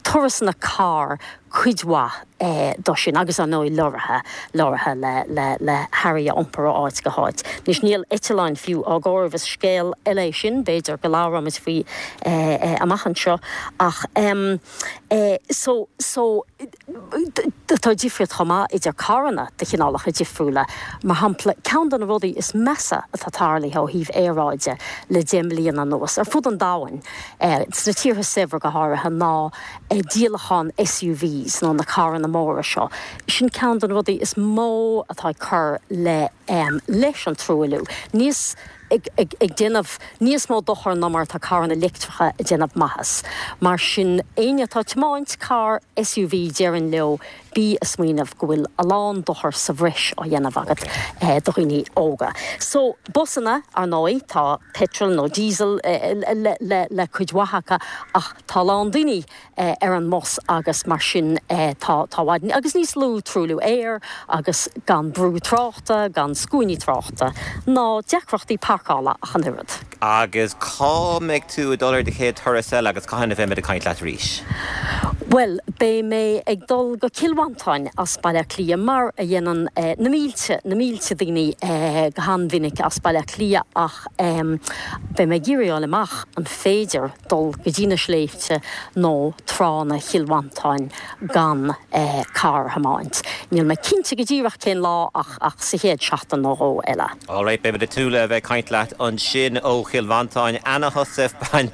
turasanna cairr cuid mhaith de sin agus ar ndóigh leoraithe, leoraithe le, le, le hearraí a iompar ó áit go háit. Anois níl eitleáin fiú á gcomhaireamh, is scéal eile é sin, b'fhéidir go labhróimid faoi amach anseo ach so, so tá difríocht chomh maith idir carranna de chineálacha difriúla. Mar shampla, ceann de na rudaí is measa atá tarlaithe ó thaobh aeráide le 10 mbliana anuas, ar fud an domhain, sna tíortha saibhre go háirithe, ná díolachán SUVs nó na carranna móra seo. Sin ceann de na rudaí is mó atá ag cur le leis an truailliú. Níos. Ag déanamh níos mó dochair ná mar atá carranna leictreacha ag déanamh maitheas. Mar sin, éinne atá ag tiomáint carr SUV déarfainn leo, bí ag smaoineamh go bhfuil a lán dochar sa bhreis á dhéanamh agat do dhaoine óga. So, busanna, ar ndóigh, tá petrol nó diesel le cuid mhaith acu ach tá a lán daoine ar an mbus agus mar sin tá tá i bhfad agus níos lú truailliú aeir agus gan brú tráchta, gan scuainí tráchta ná deacrachtaí parcála ach an oiread.
Agus cá mbeidh tú ag dul ar do chéad turas eile agus cathain a bheimid ag caint leat arís?
Bhuel, beidh mé ag dul go Cill Mhantáin as Baile Átha Cliath mar a dhéanann na mílte, na mílte daoine go han-mhinic as Baile Átha Cliath ach beidh mé ag iarraidh a fháil amach an féidir dul go dtí na sléibhte nó tránna Chill Mhantáin gan carr a thiomáint. Níl mé cinnte go díreach cén lá ach ach sa chéad seachtain nó dhó eile.
Alright, beimid ag tnúth le bheith ag caint leat ansin ó Chill Mhantáin. Anna Heussaff, bain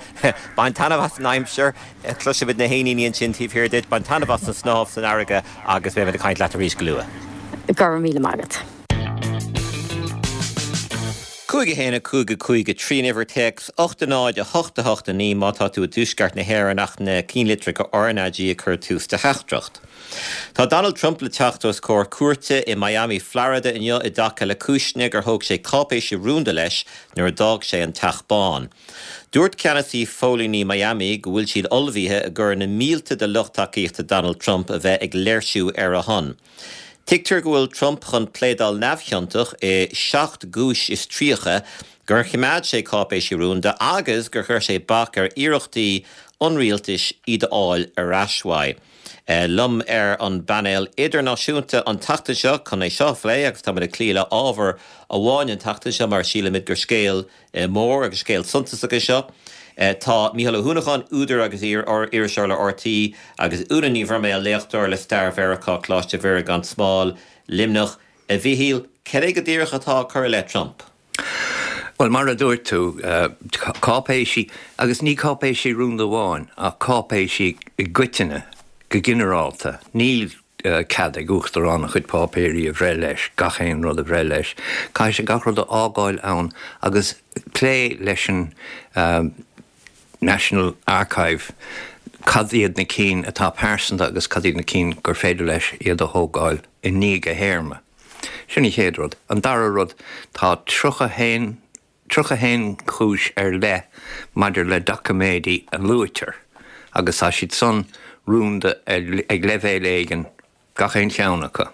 bain taitneamh as an aimsir, cloisimid na héiníní ansin taobh thiar duit, bain taitneamh as an snámh san fharraige agus beimid ag caint leat arís go luath.
Go raibh míle maith agat.
5 1 5 5 3 an uimhir téacs 8 0 8 8 9 má tá tú i dtuaisceart na hÉireann ach na cinnlitreacha RnaG ag cur tús do theachtaireacht. Tá Donald Trump le teacht os comhair cúirte i Miami, Florida inniu i dtaca le cúiseanna gur thóg sé cáipéisí rúnda leis nuair a d'fhág sé an Teach Bán. Dúirt ceannasaí phóilíní Miami go bhfuil siad ullmhaithe i gcomhair na mílte de lucht tacaíochta Donald Trump a bheith ag léirsiú ar a shon. Tuigtear go bhfuil Trump chun pléadáil neamhchiontach i 7 gcúis is 30 gur choimeád sé cáipéisí rúnda agus gur chuir sé bac ar iarrachtaí an rialtais iad a fháil ar ais uaidh. Liom ar an bpainéal idirnáisiúnta an tseachtain seo chun é seo a phlé agus táimid ag cloí le ábhar amháin an tseachtain seo mar sílimid gur scéal mór agus scéal suntasach é seo. Tá Mícheál Ó hUanacháin, údar agus iar-iriseoir le RTÉ, agus Úna Ní Bhroiméil, léachtóir le Stair Mheiriceá, Coláiste Mhuire gan Smál, Luimneach. A Mhichíl, cad é go díreach atá á cur i leith Trump?
Bhuel, mar a dúirt tú, cáipéisí, agus ní cáipéisí rúnda amháin, ach cáipéisí i gcoitinne, go ginearálta. Níl cead ag Uachtarán a chuid páipéirí a bhreith leis, gach aon rud a bhreith leis. Caithfidh sé gach rud a fhágáil ann agus plé leis an National Archive cad iad na cinn atá pearsanta agus cad iad na cinn gur féidir leis iad a thógáil i ndiaidh a théarma. Sin an chéad rud. An dara rud, tá 31 31 chúis ar leith maidir le doiciméidí a luaitear agus tá siad san rúnda ag leibhéal éigin, gach aon cheann acu.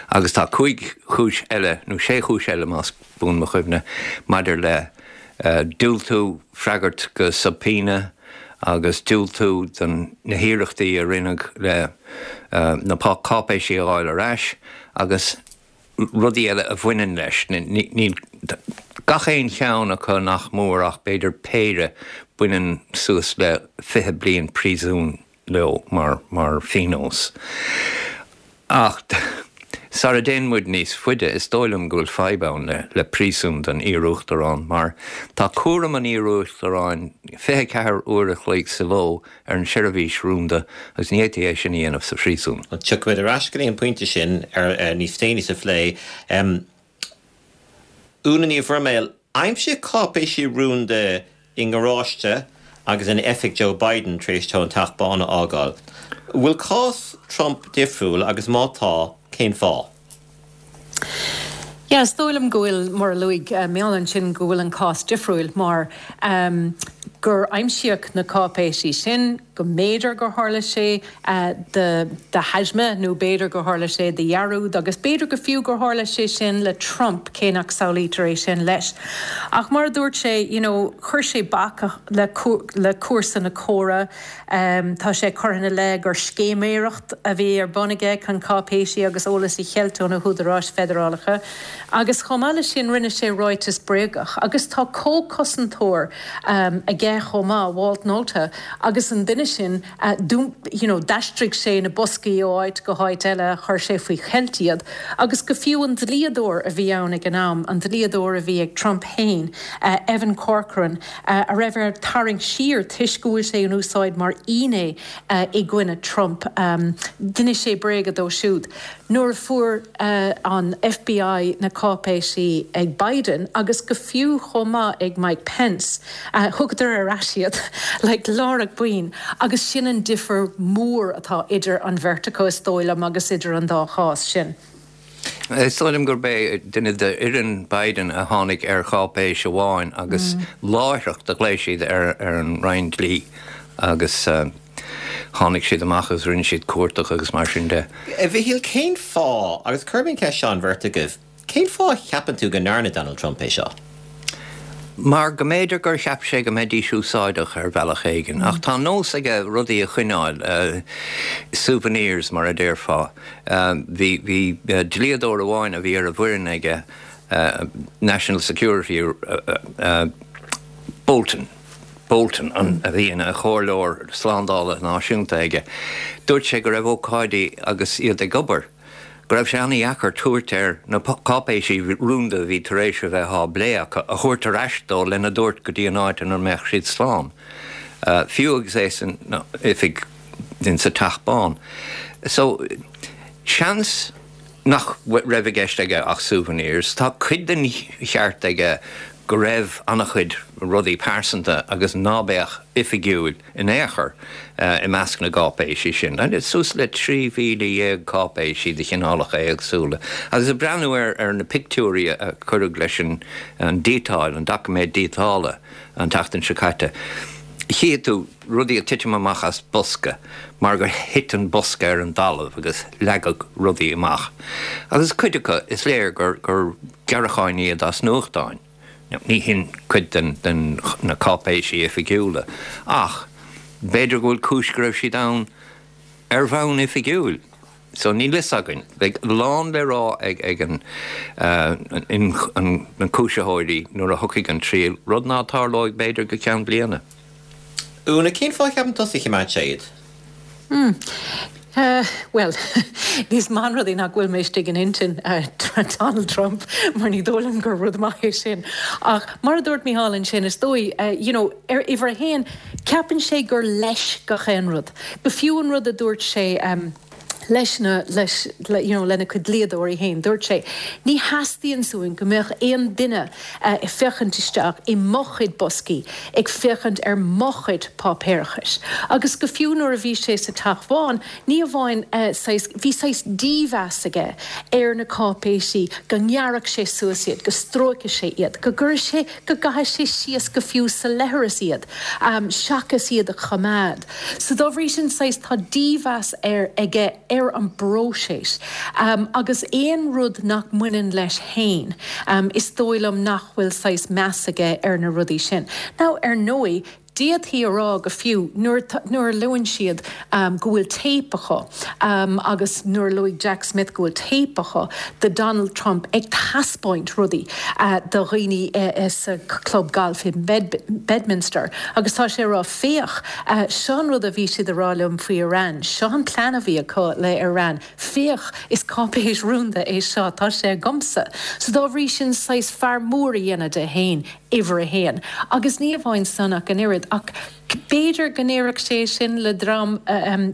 Agus tá cúig chúis eile, nó sé chúis eile más buan mo chuimhne, maidir le diúltú freagairt go subpoena agus diúltú do na hiarrachtaí a rinneadh le na cáipéisí a fháil ar ais agus rudaí eile a bhaineann leis. Níl gach aon cheann acu nach mór ach b'fhéidir péire, baineann suas le 20 bliain príosúin leo mar mar phionós. Ach sara dtéann muid níos faide, is dóigh liom go bhfuil fadhb ann le le príosún don iar-uachtarán mar tá cúram an iar-uachtaráin 24 uair a chloig sa ló ar an seirbhís rúnda agus ní fhéadfaí é sin a dhéanamh sa phríosún.
Tiocfaimid ar ais go dtí an pointe sin níos déanaí sa phlé. Úna Ní Bhroiméil, aimsíodh cáipéisí rúnda i ngaráiste agus in oifig Joe Biden tar éis dó an Teach Bán a fhágáil. An bhfuil cás Trump difriúil agus má tá, cén fáth?
Yeah, is dóigh liom go bhfuil, mar a luaigh Mícheál ansin, go bhfuil an cás difriúil mar gur aimsíodh na cáipéisí sin, go mb'fhéidir gur tharla sé de thaisme nó b'fhéidir gur tharla sé de dhearúd agus b'fhéidir go fiú gur tharla sé sin le Trump, cé nach samhlaítear é sin leis. Ach mar a dúirt sé, you know, chuir sé bac le le cúrsa na córa. Tá sé curtha ina leith gur scéiméireacht a bhí ar bun aige chun cáipéisí agus eolas a cheilt ó na húdaráis feidearálacha agus chomh maith leis sin rinne sé ráiteas bréagach agus tá comhchosantóir aige. aige chomh maith, Walt Nauta, agus an duine sin, you know, d'aistrigh sé na boscaí ó áit go háit eile, chuir sé faoi cheilt iad, agus go fiú an dlíodóir a bhí ann ag an am, an dlíodóir a bhí ag Trump féin, Evan Corcoran, a raibh air tarraingt siar toisc go bhfuil sé in úsáid mar fhinné i gcoinne Trump, d'inis sé bréaga dó siúd. Nuair a fuair an FBI na cáipéisí ag Biden, agus go fiú chomh maith ag Mike Pence, thugadar ar ais iad like láithreach boinn agus sin an difear mór atá idir an bheirt acu is dóigh liom agus idir an dá chás sin.
Is dóigh liom gurb é duine d'fhoireann Biden a tháinig ar cháipéis amháin agus láithreach do ghlaoigh siad ar an Roinn Dlí agus tháinig siad amach agus rinne siad cuardach agus mar sin de.
A Mhichíl, cén fáth, agus cuirfidh mé an cheist seo an bheirt agaibh, cén fáth a cheapann tú go ndearna Donald Trump é seo?
Mar go mb'fhéidir gur cheap sé go mbeidís úsáideach ar bhealach éigin. Ach tá nós aige rudaí a choinneáil, souvenirs mar a déarfá. Bhí, bhí dlíodóir amháin a bhí ar an bhfoireann aige, National Security Bolton, Bolton, an, a bhí ina chomhairleoir slándála náisiúnta aige, dúirt sé go raibh ócáidí agus iad ag obair, go raibh sé an-dheacair tabhairt air na cáipéisí rúnda a bhí tar éis a bheith á bplé acu a thabhairt ar ais dó lena dtabhairt go dtí an áit ina mbeadh siad slán, fiú agus é san oifig in sa Teach Bán. So, seans nach raibh i gceist aige ach souvenirs. Tá cuid den cheart aige go raibh an-chuid rudaí pearsanta agus ná beadh oifigiúil in aon chor i measc na gcáipéisí sin. Suas le 13,000 cáipéisí de chineálacha éagsúla. Agus ag breathnú ar na pictiúirí a cuireadh leis an díotáil, an doiciméad díotála an tseachtain seo caite, chífidh tú rudaí ag titim amach as bosca mar gur thit an bosca ar an dtalamh agus leagadh rudaí amach. Agus cuid acu, is léir gur gearracháin iad as nuachtáin. Ní hin cuid den na cáipéisí oifigiúla, ach b'fhéidir go bhfuil cúis go raibh siad ann ar bhonn oifigiúil. So níl fhios againn. Beidh a lán le rá ag ag an na cúisitheoirí nuair a thiocfaidh an triail, rud ná tarlóidh b'fhéidir go ceann bliana.
Úna, cén fáth a cheapann tusa a choimeád sé iad?
Hmm. Bhuel, is maith an rud é nach bhfuil mé istigh in intinn Donald Trump, mar ní dóigh liom gur rud maith é sin. Ach mar a dúirt Mícheál ansin, is dóigh, you know, ar uimhir a haon, ceapann sé gur leis gach aon rud. Go fiú an rud a dúirt sé leis na, leis, you know, lena chuid dlíodóirí féin, dúirt sé, ní theastaíonn uainn go mbeadh aon duine ag féachaint isteach i mo chuid boscaí, ag féachaint ar mo chuid páipéarachais. Agus go fiú nuair a bhí sé sa Teach Bhán, ní amháin saghas, bhí saghas dímheas aige ar na cáipéisí, go ngearrfadh sé suas iad, go stróicfeadh sé iad, go gcuirfeadh sé, go gcaithfeadh sé síos go fiú sa leithreas iad, seachas iad a choimeád. So dá bhrí sin, saghas, tá dímheas air, aige ar an bpróiseas agus aon rud nach mbaineann leis fhéin, is dóigh liom nach bhfuil saghas meas aige ar na rudaí sin. Now, ar ndóigh, d'fhéadfaí a rá go fiú, nuair, nuair a luann siad go bhfuil téip acu agus nuair a luaigh Jack Smith go bhfuil téip acu de Donald Trump ag taispeáint rudaí do dhaoine sa chlub gailf i Bedminster agus tá sé ag rá, Féach, seo an rud a bhí siad a rá liom faoi Iran, seo an plean a bhí acu le Iran, féach, is cáipéis rúnda é seo, tá sé agamsa. So dá bhrí sin, saghas fear mór a dhéanamh de fhéin, uimhir a haon. Agus ní amháin san ach an oiread, ach b'fhéidir go ndéarfadh sé sin le dream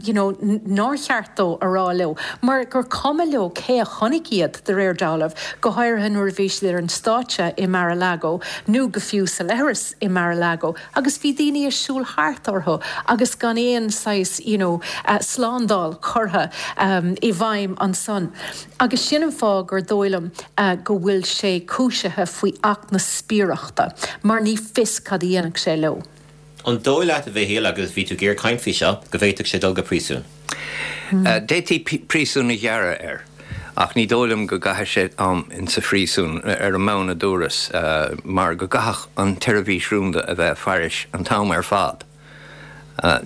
you know nár cheart dó a rá leo, mar gur cuma leo cé a chonaic iad, de réir dealraimh, go háirithe nuair a bhí siad ar an stáitse i Mar-a-Lago nó go fiú sa leithreas i Mar-a-Lago. Agus bhí daoine ag siúl thart orthu agus gan aon saghas you know slándáil curtha i bhfeidhm ansan. Agus sin an fáth gur dóigh liom go bhfuil sé cúisithe faoi Acht na Spiaireachta, mar ní fios cad a dhéanfadh sé leo.
An dóigh leat, a Mhichíl, agus bhí tú ag iarraidh caint faoi seo, go bhféadfadh sé dul go príosún?
D'fhéadfaí príosún a ghearradh air, ach ní dóigh liom go gcaithfidh sé am insa phríosún, ar an mbonn a dúras, mar go gcaithfeadh an tseirbhís rúnda a bheith ag faire an t-am ar fad.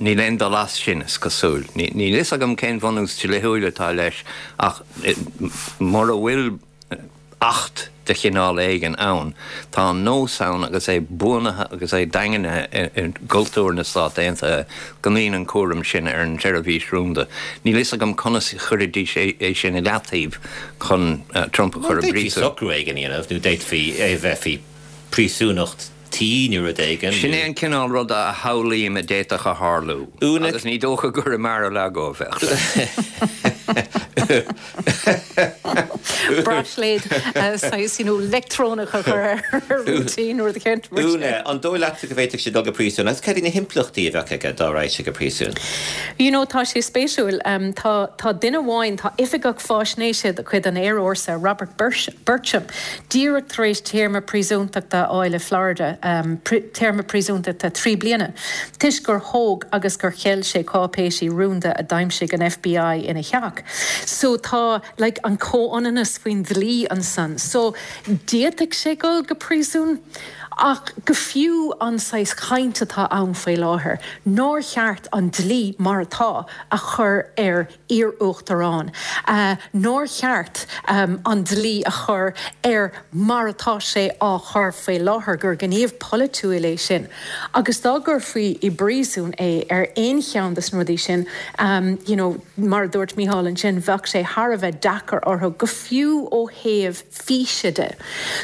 Níl aon dul as sin, is cosúil. Níl fhios agam cén bhunús dlíthiúil atá leis, ach mura bhfuil. Acht de chineál éigin ann. Tá an nós ann agus é buanaithe agus é daingnithe i gcultúr na Stát Aontaithe go mbíonn an cúram sin ar an tSeirbhís Rúnda. Níl fhios agam conas a chuirfidís é sin i leataobh chun Trump a chur i
D'fhéadfaí
bpríosún.
socrú éigin a dhéanamh nó d'fhéadfaí é a bheith faoi phríosúnacht tí nó rud éigin.
Sin é an cineál ruda a shamhlaím a d'fhéadfadh a tharlú.
Úna.
Agus ní dócha gur i Mar-a-Lago a bheadh sé.
Braisléad saghas, you know, leictreonach a chur air ar routine rud éicint mar sin.
Úna, an dóigh leatsa go bhféadfadh sé dul go príosún agus cad iad na himpleachtaí a bheadh aige dá raghadh sé go príosún?
You know, tá sé spéisiúil. Tá, tá duine amháin, tá oifigeach faisnéise de chuid an Aerfhórsa, Robert Bertram, díreach tar éis téarma príosúntachta a fháil i Florida, téarma príosúntachta 3 bliana, toisc gur thóg agus gur cheil sé cáipéisí rúnda a d'aimsigh an FBI ina theach. So tá, like, an comhionannas faoin dlí ansan. So d'fhéadfadh sé dul go príosún, ach go fiú an saghas chaint atá ann faoi láthair, nár cheart an dlí mar atá a chur ar iar-uachtarán, nár cheart an dlí a chur air mar atá sé á chur faoi láthair, gur gníomh polaitiúil é sin agus dá gcuirfí i bpríosún é ar aon cheann de na rudaí sin, you know, mar a dúirt Mícheál ansin, bheadh sé thar a bheith deacair orthu, go fiú ó thaobh físe de.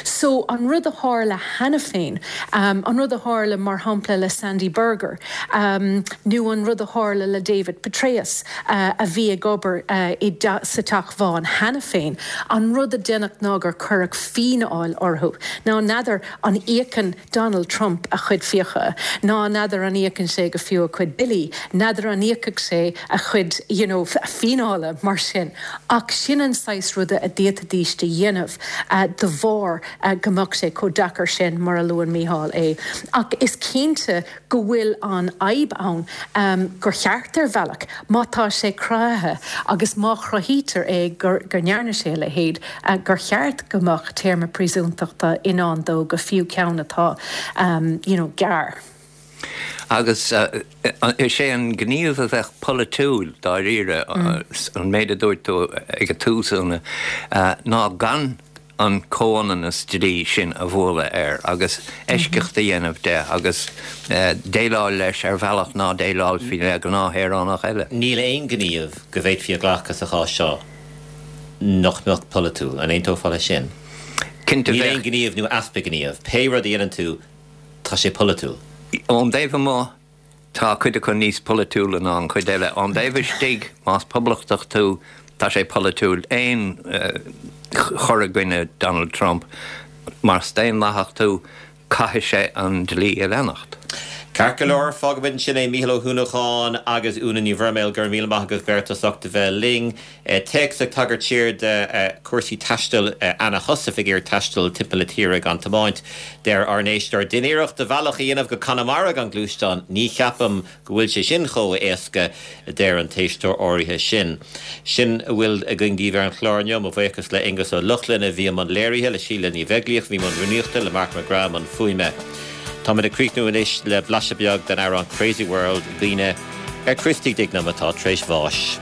So, an rud a tharla cheana féin, an rud a tharla, mar shampla, le Sandy Berger, nó an rud a tharla le David Petraeus, a bhí ag obair i sa Teach Bhán cheana féin, an rud a deineadh ná gur cuireadh fíneáil orthu. Now, n'fheadar an íocann Donald Trump a chuid fiacha, ná n'fheadar an íocann sé go fiú a chuid billí, n'fheadar an íocfadh sé a chuid, you know, fíneála mar sin. Ach sin an saghas ruda a d'fhéadfaidís a dhéanamh de bharr go mbeadh sé chomh deacair sin, mar a luann Mícheál é. Ach is cinnte go bhfuil an fhadhb ann gur cheart, ar bhealach, má tá sé cruthaithe agus má chruthaítear é go ndearna sé a leithéid, gur cheart go mbeadh téarma príosúntachta i ndán dó, go fiú ceann atá, you know, gearr.
Agus is é an gníomh a bheadh polaitiúil, dáiríre, an méid a dúirt tú ag an tús, Úna, ná gan an comhionannas dlí sin a bhualadh air agus eisceacht a dhéanamh de agus déileáil leis ar bhealach ná déileálfaí le gnáthshaoránach eile.
Níl aon ghníomh go bhféadfaí a ghlacadh sa chás seo nach mbeadh polaitiúil. An aontófá leis sin?
Cinnte
Níl aon ghníomh nó easpa gníomh. Pé rud a dhéanann tú, tá sé polaitiúil.
Ón dtaobh amuigh, tá cuid acu níos polaitiúla ná an chuid eile. Ón dtaobh istigh, más poblachtach tú, tá sé polaitiúil aon chur i gcoinne Donald Trump. Más daonlathach tú, caithfidh sé an dlí a leanacht.
Ceart go leor, fágfaimid ansin é. Mícheál Ó hUanacháin agus Úna Ní Bhroiméil, go raibh míle maith agaibh beirt as ucht a bheith linn. Téacs ag tagairt siar do chúrsaí taistil Anna Heussaff ag iarraidh taisteal timpeall na tíre gan tiomáint. Deir ár n-éisteoir, Déan iarracht do bhealach a dhéanamh go Conamara gan gluaisteán. Ní cheapaim go bhfuil sé sin chomh héasca, a deir an t-éisteoir áirithe sin. Sin a bhfuil againn daoibh ar an chlár inniu. Mo bhuíochas le Aonghus Ó Lochlainn a bhí i mbun léirithe, le Síle Ní Bheaglaoich a bhí i mbun rúnaíochta, le Mark McGrath i mbun fuaime. Táimid ag críochnú anois le blaiseadh beag den amhrán Crazy World i gcuimhne ar Christy Dignam atá tar éis bháis.